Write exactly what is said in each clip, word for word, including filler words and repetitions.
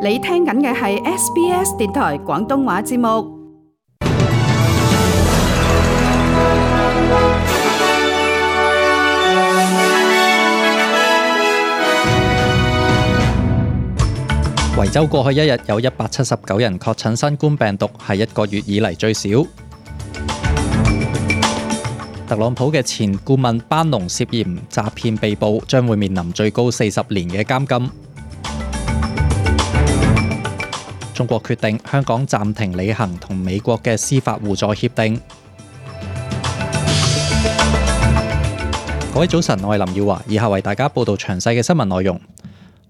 你聽緊嘅係 S B S 電台廣東話節目。維州過去一日有一百七十九人確診新冠病毒，係一個月以嚟最少。特朗普嘅前顧問班農涉嫌詐騙被捕，將會面臨最高四十年嘅監禁。中國決定香港暫停履行同美國嘅司法互助協定。各位早晨，我係林耀華，以下為大家報道詳細嘅新聞內容。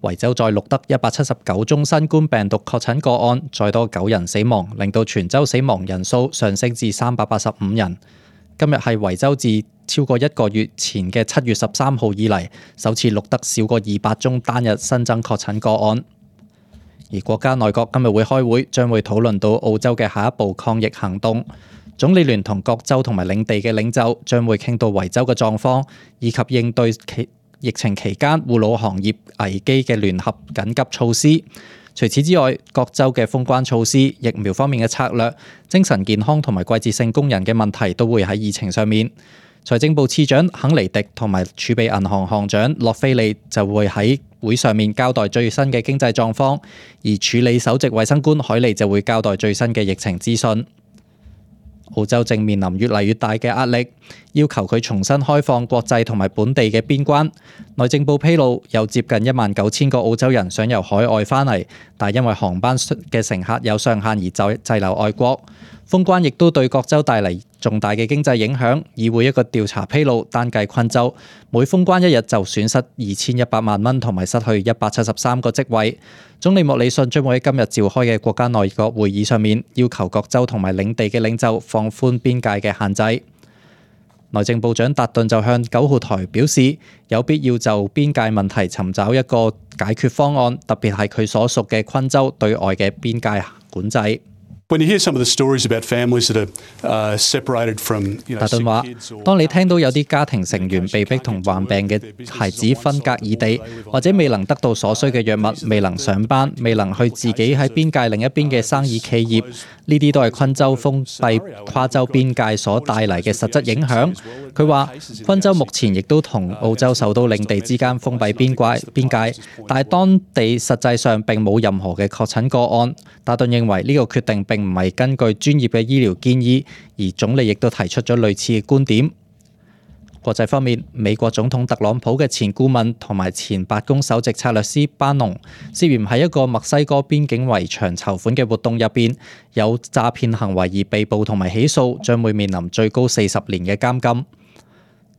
維州再錄得一百七十九宗新冠病毒確診個案，再多九人死亡，令到全州死亡人數上升至三百八十五人。今日係維州自超過一個月前嘅七月十三號以嚟，首次錄得少過二百宗單日新增確診個案。而國家內閣今日會開會，將會討論到澳洲嘅下一步抗疫行動。總理聯同各州同埋領地嘅領袖將會傾到維州嘅狀況，以及應對其疫情期間護老行業危機嘅聯合緊急措施。除此之外，各州嘅封關措施、疫苗方面嘅策略、精神健康同埋季節性工人嘅問題都會喺議程上面。財政部次長肯尼迪同埋儲備銀行行長洛菲利就會喺會上面交代最新嘅經濟狀況，而處理首席衛生官海利就會交代最新嘅疫情資訊。澳洲正面臨越嚟越大嘅壓力，要求佢重新開放國際同埋本地嘅邊關。內政部披露，有接近一萬九千個澳洲人想由海外返嚟，但因為航班嘅乘客有上限而滯滯留外國。封關亦都對各州帶嚟重大嘅經濟影響。議會一個調查披露，單計昆州每封關一日就損失二千一百萬蚊，同埋失去一百七十三個職位。總理莫里遜將會喺今日召開嘅國家內閣會議上面，要求各州同埋領地嘅領袖放寬邊界嘅限制。內政部長達頓就向九號台表示，有必要就邊界問題尋找一個解決方案，特別係佢所屬嘅昆州對外嘅邊界管制。When you hear some of the stories about families that are uh, separated from, you know, 達頓話，當你聽到有啲家庭成員被逼同患病嘅孩子分隔異地，或者未能得到所需嘅藥物，未能上班，未能去自己喺邊界另一邊嘅生意企業，呢啲都係昆州封閉跨州邊界所帶嚟嘅實質影響。佢話，昆州目前亦都同澳洲首都領地之間封閉邊界邊界，但係當地實際上並冇任何嘅確診個案。達頓認為呢個決定並唔係根據專業嘅醫療建議，而總理亦都提出咗類似嘅觀點。國際方面，美國總統特朗普嘅前顧問同埋前白宮首席策略師班農涉嫌喺一個墨西哥邊境圍牆籌款嘅活動入邊有詐騙行為而被捕同埋起訴，將會面臨最高四十年嘅監禁。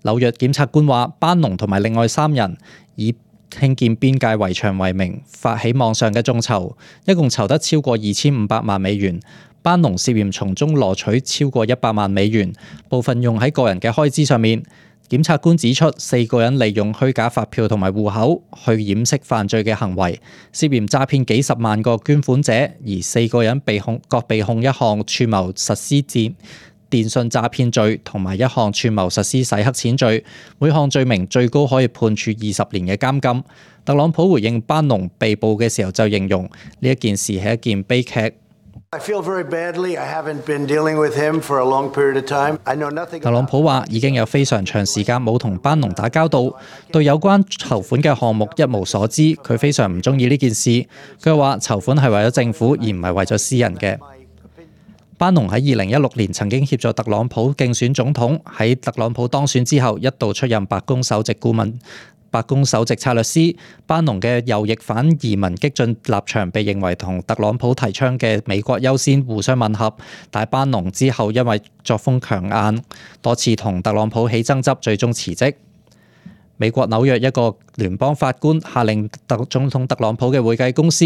紐約檢察官話，班農同埋另外三人以興建邊界圍牆為名發起網上嘅眾籌，一共籌得超過二千五百萬美元。班農涉嫌從中攞取超過一百萬美元，部分用喺個人嘅開支上面。檢察官指出，四個人利用虛假發票同埋戶口去掩飾犯罪嘅行為，涉嫌詐騙幾十萬個捐款者，而四個人被控各被控一項串謀實施電電信詐騙罪同埋一項串謀實施洗黑錢罪，每項罪名最高可以判處二十年嘅監禁。特朗普回應班農被捕嘅時候就形容呢一件事係一件悲劇。特朗普話已經有非常長時間冇同班農打交道，對有關籌款嘅項目一無所知，佢非常唔中意呢件事。佢話籌款係為咗政府而唔係為咗私人嘅。班農喺二零一六年曾經協助特朗普競選總統，喺特朗普當選之後一度出任白宮首席顧問、白宮首席策略師。班農嘅右翼反移民激進立場被認為同特朗普提倡嘅美國優先互相吻合，但班農之後因為作風強硬，多次同特朗普起爭執，最終辭職。美國紐約一個聯邦法官下令特總統特朗普嘅會計公司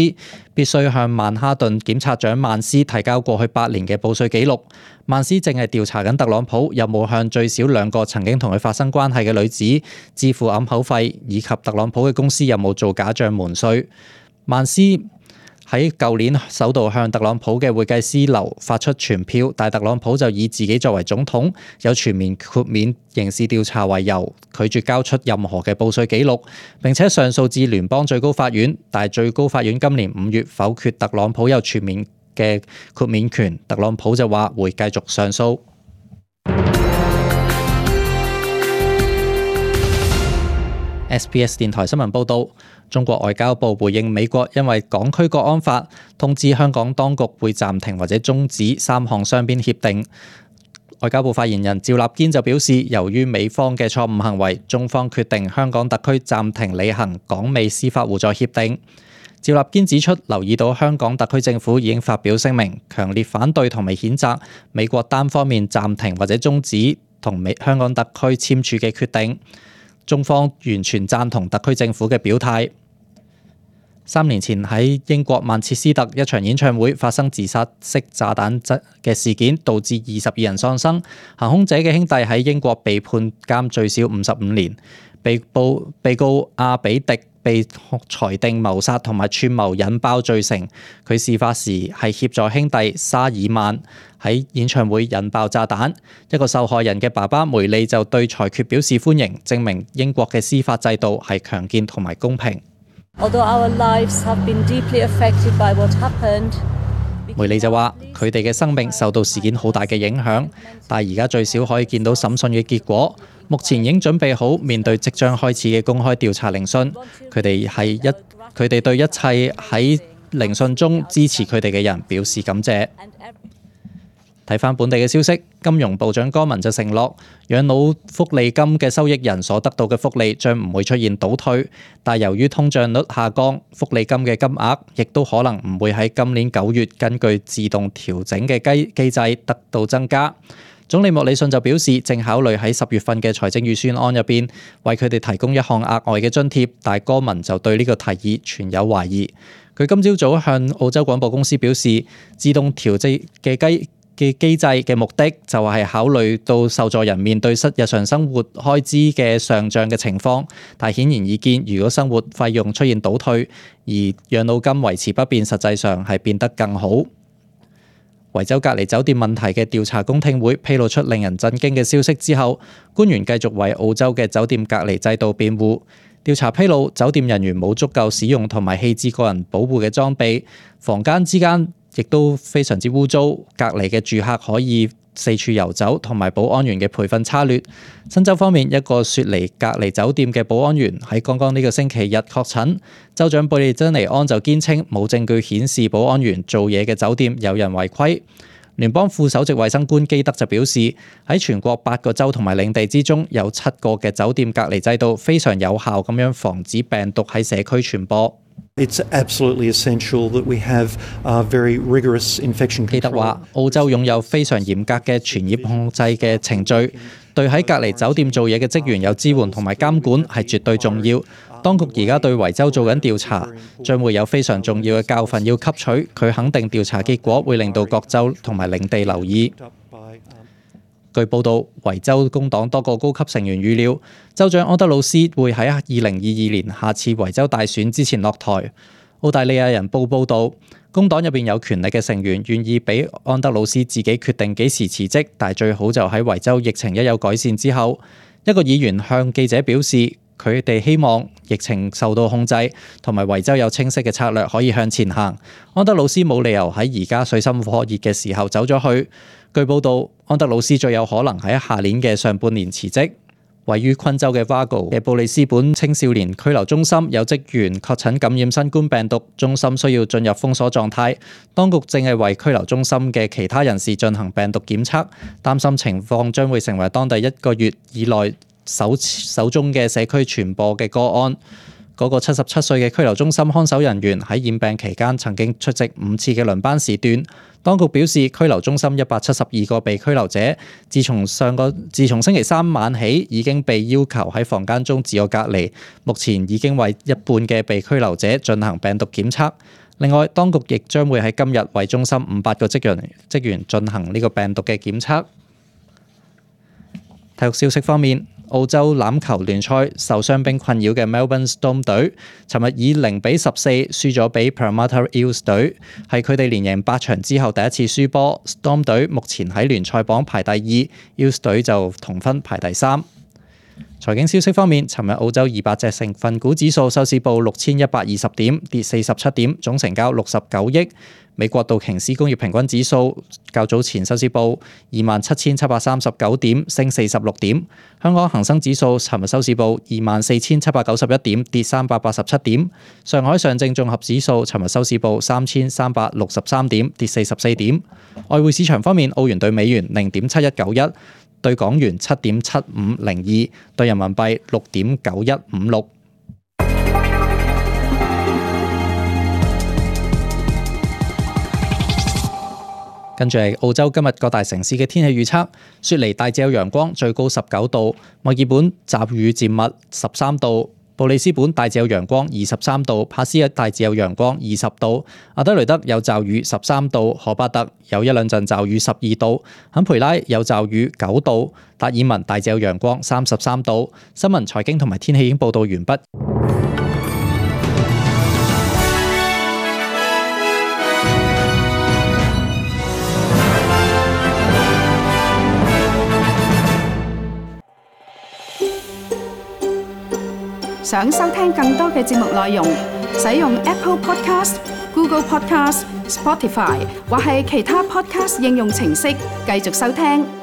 必須向曼哈頓檢察長曼斯提交過去八年嘅報稅記錄。曼斯正係調查緊特朗普有冇向最少兩個曾經同佢發生關係嘅女子支付揞口費，以及特朗普嘅公司有冇做假帳瞞稅。曼斯喺舊年首度向特朗普嘅會計師樓發出傳票，但特朗普就以自己作為總統有全面豁免刑事調查為由，拒絕交出任何嘅報稅記錄，並且上訴至聯邦最高法院，但係最高法院今年五月否決特朗普有全面嘅豁免權，特朗普就話會繼續上訴。S B S 電台新聞報導，中國外交部回應美國因為港區國安法通知香港當局會暫停或者終止三項雙邊協定。外交部發言人趙立堅就表示，由於美方嘅錯誤行為，中方決定香港特區暫停履行港美司法互助協定。趙立堅指出，留意到香港特區政府已經發表聲明，強烈反對同埋譴責美國單方面暫停或者終止同美香港特區簽署嘅決定。中方完全贊同特區政府嘅表態。三年前喺英國曼徹斯特一場演唱會發生自殺式炸彈嘅事件，導致二十二人喪生。行兇者嘅兄弟喺英國被判監最少五十五年。被告被告阿比迪被裁定謀殺同埋串謀引爆罪成。佢事發時係協助兄弟沙爾曼喺演唱會引爆炸彈。一個受害人嘅爸爸梅利就對裁決表示歡迎，證明英國嘅司法制度係強健同埋公平。梅利就話：佢哋嘅生命受到事件好大嘅影響，但係而家最少可以見到審訊嘅結果。目前已經準備好面對即將開始嘅公開調查聆訊。佢哋係一佢哋對一切喺聆訊中支持佢哋嘅人表示感謝。睇返本地嘅消息，金融部長柯文就承諾，養老福利金嘅收益人所得到嘅福利將唔會出現倒退，但由於通脹率下降，福利金嘅金額亦都可能唔會喺今年九月根據自動調整嘅機機制得到增加。總理莫里遜就表示，正考慮喺十月份嘅財政預算案入邊為佢哋提供一項額外嘅津貼，但柯文就對呢個提議存有懷疑。佢今朝早向澳洲廣播公司表示，自動調整嘅機嘅機制嘅目的就係考慮到受助人面對日常生活開支嘅上漲嘅情況，但顯然易見，如果生活費用出現倒退，而養老金維持不變，實際上係變得更好。維州隔離酒店問題嘅調查公聽會披露出令人震驚嘅消息之後，官員繼續為澳洲嘅酒店隔離制度辯護。調查披露，酒店人員冇足夠使用同埋棄置個人保護嘅裝備，房間之間亦都非常之污糟，隔離嘅住客可以四處遊走，同埋保安員嘅培訓差劣。新州方面，一個雪梨隔離酒店嘅保安員喺剛剛呢個星期日確診，州長貝利珍尼安就堅稱冇證據顯示保安員做嘢嘅酒店有人違規。聯邦副首席衛生官基德就表示，喺全國八個州同埋領地之中，有七個嘅酒店隔離制度非常有效咁樣防止病毒喺社區傳播。It's absolutely essential that we have uh, very rigorous infection control. 基德話，澳洲擁有非常嚴格嘅傳染控制嘅程序，對喺隔離酒店做嘢嘅職員有支援同埋監管係絕對重要。當局而家對維州做緊調查，將會有非常重要嘅教訓要吸取。佢肯定調查結果會令到各州同埋領地留意。據報道，維州工黨多個高級成員預料，州長安德魯斯會喺二零二二年下次維州大選之前落台。澳大利亞人報報導，工黨入邊有權力嘅成員願意俾安德魯斯自己決定幾時辭職，但係最好就喺維州疫情一有改善之後。一個議員向記者表示，佢哋希望疫情受到控制，同埋維州有清晰嘅策略可以向前行。安德魯斯冇理由喺而家水深火熱嘅時候走咗去。據報道，安德魯斯最有可能喺下年嘅上半年辭職。位於昆州嘅 Vago 嘅布里斯本青少年拘留中心有職員確診感染新冠病毒，中心需要進入封鎖狀態。當局正係為拘留中心嘅其他人士進行病毒檢測，擔心情況將會成為當地一個月以內首首宗嘅社區傳播嘅個案。嗰個七十七歲嘅拘留中心看守人員喺染病期間曾經出席五次嘅輪班時段。當局表示，拘留中心一百七十二個被拘留者，自從上個自從星期三晚起已經被要求喺房間中自我隔離。目前已經為一半嘅被拘留者進行病毒檢測。另外，當局亦將會喺今日為中心五百個職員職員進行呢個病毒嘅檢測。體育消息方面，澳洲欖球聯賽受傷兵困擾嘅 Melbourne Storm 隊，尋日以零比十四輸咗俾 Parramatta Eels 隊，係佢哋連贏八場之後第一次輸波。Storm 隊目前喺聯賽榜排第二 ，Eels 隊就同分排第三。財經消息方面，尋日澳洲二百隻成分股指數收市報六千一百二十點，跌四十七點，總成交六十九億。美國道瓊斯工業平均指數較早前收市報二萬七千七百三十九點，升四十六點。香港恒生指數尋日收市報二萬四千七百九十一點，跌三百八十七點。上海上證綜合指數尋日收市報三千三百六十三點，跌四十四點。外匯市場方面，澳元對美元零點七一九一。對港元七點七五零二，對人民幣六點九一五六。跟住係澳洲今日各大城市嘅天氣預測：雪梨大致有陽光，最高十九度；墨爾本驟雨漸密，十三度；布里斯本大致有陽光，二十三度；帕斯一大致有陽光，二十度；阿德雷德有驟雨，十三度；荷巴特有一兩陣驟雨，十二度；坎培拉有驟雨，九度；達爾文大致有陽光，三十三度。新聞、財經同埋天氣已經報道完畢。想收聽更多嘅節目內容，使用 Apple Podcast、Google Podcast、Spotify 或係其他 Podcast 應用程式繼續收聽。